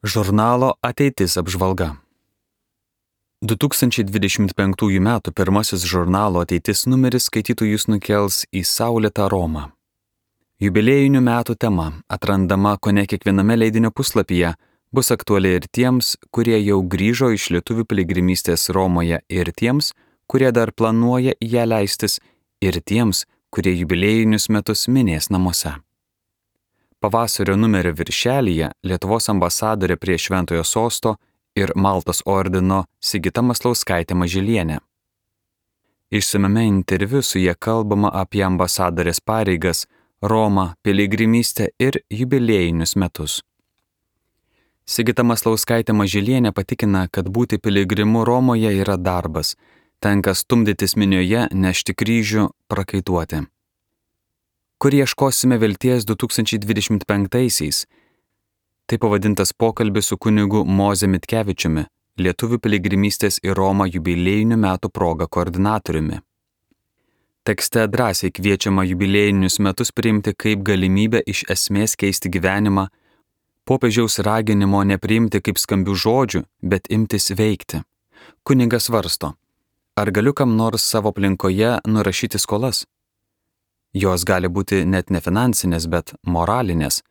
Žurnalo Ateitis apžvalga. 2025 m. pirmasis žurnalo Ateitis numeris skaitytojus nukels į saulėtą Romą. Jubiliejinių metų tema, atrandama kone kiekviename leidinio puslapyje, bus aktuali ir tiems, kurie jau grįžo iš lietuvių piligrimystės Romoje, ir tiems, kurie dar planuoja į ją leistis, ir tiems, kurie jubiliejinius metus minės namuose. Pavasario numerio viršelyje Lietuvos ambasadorė prie Šventojo Sosto ir Maltos ordino Sigita Maslauskaitė Mažylienė. Išsamiame interviu su ja kalbama apie ambasadorės pareigas, Romą, piligrimystę ir jubiliejinius metus. Sigita Maslauskaitė Mažylienė patikina, kad būti piligrimu Romoje yra darbas, tenka stumdytis minioje, nešti kryžių, prakaituoti. Kur ieškosime vilties 2025-aisiais? Tai pavadintas pokalbis su kunigu Moze Mitkevičiumi, lietuvių piligrimystės į Romą jubiliejinių metų proga koordinatoriumi. Tekste drąsiai kviečiama jubiliejinius metus priimti kaip galimybę iš esmės keisti gyvenimą, popiežiaus raginimo nepriimti kaip skambių žodžių, bet imtis veikti. Kunigas svarsto, ar galiu kam nors savo aplinkoje nurašyti skolas? Jos gali būti net ne finansinės, bet moralinės.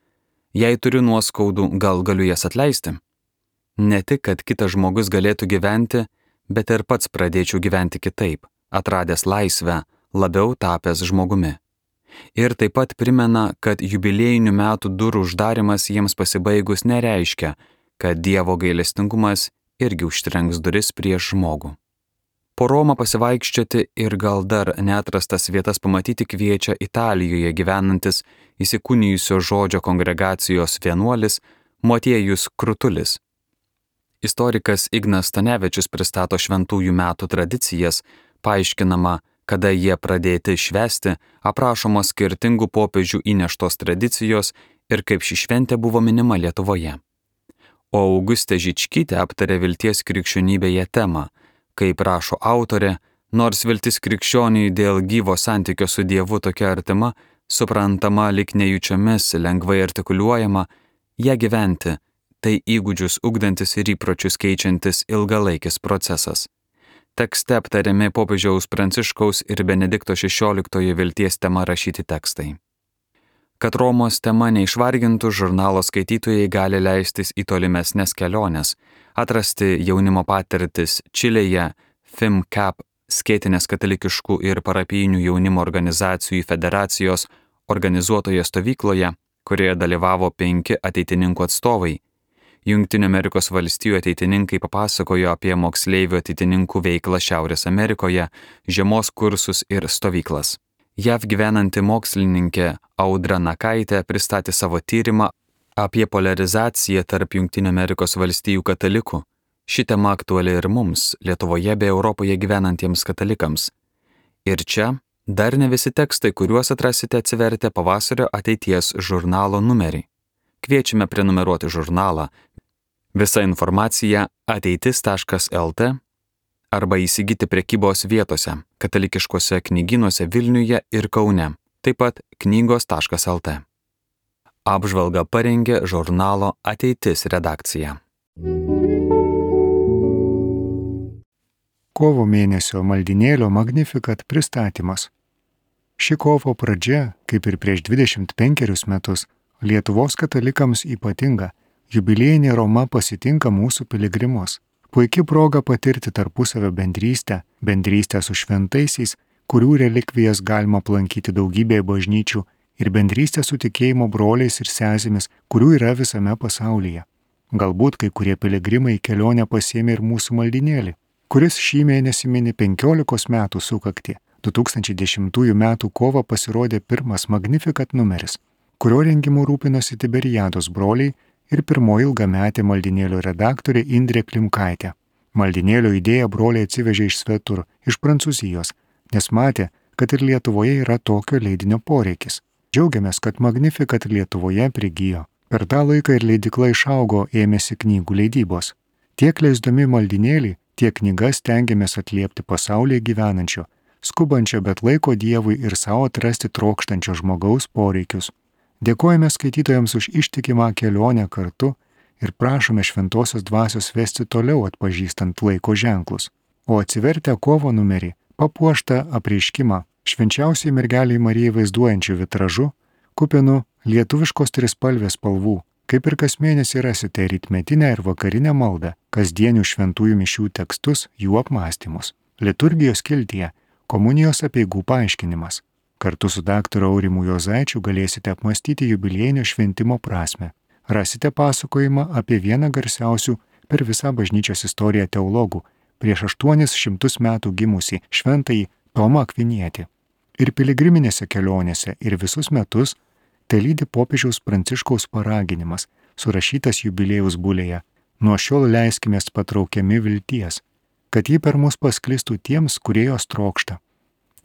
Jei turiu nuoskaudų, gal galiu jas atleisti? Ne tik, kad kitas žmogus galėtų gyventi, bet ir pats pradėčiau gyventi kitaip, atradęs laisvę, labiau tapęs žmogumi. Ir taip pat primena, kad jubiliejinių metų durų uždarimas jiems pasibaigus nereiškia, kad Dievo gailestingumas irgi užtrenks duris prieš žmogų. Po Romą pasivaikščioti ir gal dar neatrastas vietas pamatyti kviečia Italijoje gyvenantis įsikūnijusio žodžio kongregacijos vienuolis Motiejus Krutulis. Istorikas Ignas Stanevičius pristato šventųjų metų tradicijas, paaiškinama, kada jie pradėti švęsti, aprašomos skirtingų popiežių įneštos tradicijos ir kaip ši šventė buvo minima Lietuvoje. O Augustė Žičkytė aptarė vilties krikščionybėje temą. Kaip rašo autorė, nors viltis krikščioniui dėl gyvo santykio su Dievu tokia artima, suprantama lyg nejučiomis, lengvai artikuliuojama, ją gyventi, tai įgūdžius ugdantis ir įpročius keičiantis ilgalaikis procesas. Tekste aptariami popiežiaus Pranciškaus ir Benedikto XVI vilties tema rašyti tekstai. Kad Romos tema neišvargintų, žurnalo skaitytojai gali leistis į tolimesnes keliones, atrasti jaunimo patirtis Čilėje, FIMCAP, skėtinės katalikiškų ir parapijinių jaunimo organizacijų federacijos organizuotoje stovykloje, kurioje dalyvavo 5 ateitininkų atstovai. Jungtinių Amerikos valstijų ateitininkai papasakojo apie moksleivių ateitininkų veiklą Šiaurės Amerikoje, žiemos kursus ir stovyklas. JAV gyvenanti mokslininkė Audra Nakaitė pristatė savo tyrimą apie poliarizaciją tarp Jungtinių Amerikos valstijų katalikų. Ši tema aktuali ir mums, Lietuvoje bei Europoje gyvenantiems katalikams. Ir čia dar ne visi tekstai, kuriuos atrasite atsivertę pavasario Ateities žurnalo numerį. Kviečiame prenumeruoti žurnalą. Visa informacija ateitis.lt arba įsigyti prekybos vietose, katalikiškuose knygynuose Vilniuje ir Kaune, taip pat knygos.lt. Apžvalgą parengė žurnalo Ateitis redakcija. Kovo mėnesio maldynėlio Magnificat pristatymas. Ši kovo pradžia, kaip ir prieš 25 metus, Lietuvos katalikams ypatinga. Jubiliejinė Roma pasitinka mūsų piligrimus. Puiki proga patirti tarpusavio bendrystę su šventaisiais, kurių relikvijas galima aplankyti daugybėje bažnyčių, ir bendrystę su tikėjimo broliais ir sesėmis, kurių yra visame pasaulyje. Galbūt kai kurie piligrimai kelionę pasiėmė ir mūsų maldynėlį, kuris šį mėnesį mini 15 metų sukaktį. 2010 metų kovą pasirodė pirmas Magnificat numeris, kurio rengimu rūpinosi Tiberiados broliai ir pirmoji ilgametė maldynėlio redaktorė Indrė Klimkaitė. Maldynėlio idėją broliai atsivežė iš svetur, iš Prancūzijos, nes matė, kad ir Lietuvoje yra tokio leidinio poreikis. Džiaugiamės, kad Magnificat Lietuvoje prigijo. Per tą laiką ir leidykla išaugo, ėmėsi knygų leidybos. Tiek leisdami maldynėlį, tiek knygas stengiamės atliepti pasaulyje gyvenančio, skubančio, bet laiko Dievui ir savo atrasti trokštančio žmogaus poreikius. Dėkojame skaitytojams už ištikimą kelionę kartu ir prašome šventosios dvasios vesti toliau atpažįstant laiko ženklus. O atsivertę kovo numerį, papuoštą apreiškimą švenčiausiai mergeliai Marijai vaizduojančių vitražu, kupinu lietuviškos trispalvės spalvų, kaip ir kas mėnesį rasite rytmetinę ir vakarinę maldą, kasdienių šventųjų mišių tekstus, jų apmąstymus. Liturgijos skiltyje komunijos apeigų paaiškinimas. Kartu su daktaru Aurimu Juozaičiu galėsite apmąstyti jubiliejinio šventimo prasmę. Rasite pasakojimą apie vieną garsiausių per visą bažnyčios istoriją teologų, prieš 800 metų gimusį šventąjį Tomą Akvinietį. Ir piligriminėse kelionėse, ir visus metus telydi popiežiaus Pranciškaus paraginimas, surašytas jubiliejaus bulėje. Nuo šiol leiskimės patraukiami vilties, kad ji per mus pasklistų tiems, kurie jos trokšta.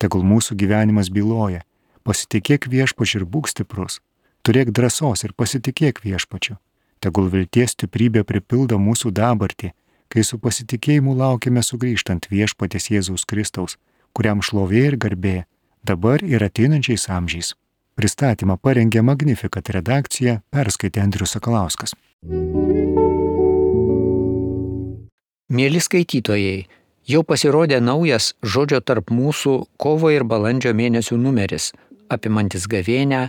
Tegul mūsų gyvenimas byloja, pasitikėk viešpačiu ir būk stiprus, turėk drąsos ir pasitikėk viešpačiu. Tegul vilties stiprybė pripildo mūsų dabartį, kai su pasitikėjimu laukiame sugrįžtant viešpaties Jėzaus Kristaus, kuriam šlovė ir garbė dabar ir ateinančiais amžiais. Pristatymą parengė Magnificat redakcija, perskaitė Andrius Sakalauskas. Mieli skaitytojai, jau pasirodė naujas Žodžio tarp mūsų kovo ir balandžio mėnesių numeris, apimantis gavėnią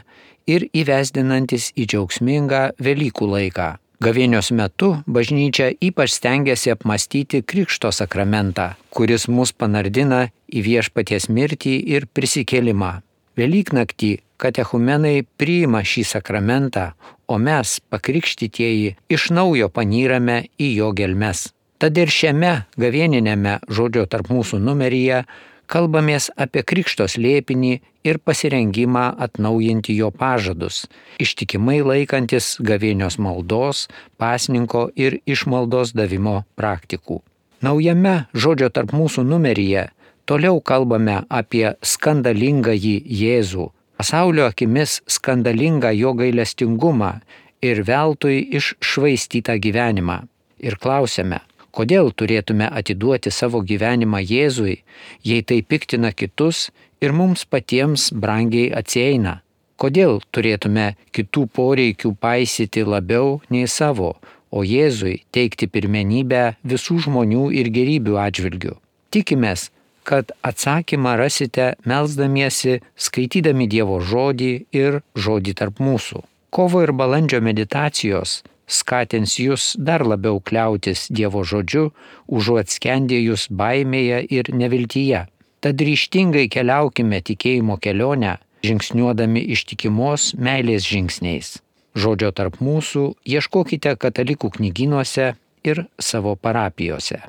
ir įvesdinantis į džiaugsmingą Velykų laiką. Gavėnios metu bažnyčia ypač stengiasi apmąstyti Krikšto sakramentą, kuris mus panardina į viešpaties mirtį ir prisikėlimą. Velyknaktį katechumenai priima šį sakramentą, o mes, pakrikštytieji, iš naujo panyrame į jo gelmes. Tad ir šiame gavėninėme Žodžio tarp mūsų numeryje kalbamės apie Krikšto slėpinį ir pasirengimą atnaujinti jo pažadus, ištikimai laikantis gavėnios maldos, pasninko ir išmaldos davimo praktikų. Naujame Žodžio tarp mūsų numeryje toliau kalbame apie skandalingąjį Jėzų, pasaulio akimis skandalingą jo gailestingumą ir veltui iššvaistytą gyvenimą. Ir klausiame, kodėl turėtume atiduoti savo gyvenimą Jėzui, jei tai piktina kitus ir mums patiems brangiai atsieina? Kodėl turėtume kitų poreikių paisyti labiau nei savo, o Jėzui teikti pirmenybę visų žmonių ir gėrybių atžvilgių? Tikimės, kad atsakymą rasite melsdamiesi, skaitydami Dievo žodį ir žodį tarp mūsų. Kovo ir balandžio meditacijos skatins jūs dar labiau kliautis Dievo žodžiu, užuot skendėjus baimėje ir neviltyje. Tad ryžtingai keliaukime tikėjimo kelionę, žingsniuodami ištikimos meilės žingsniais. Žodžio tarp mūsų ieškokite katalikų knygynuose ir savo parapijose.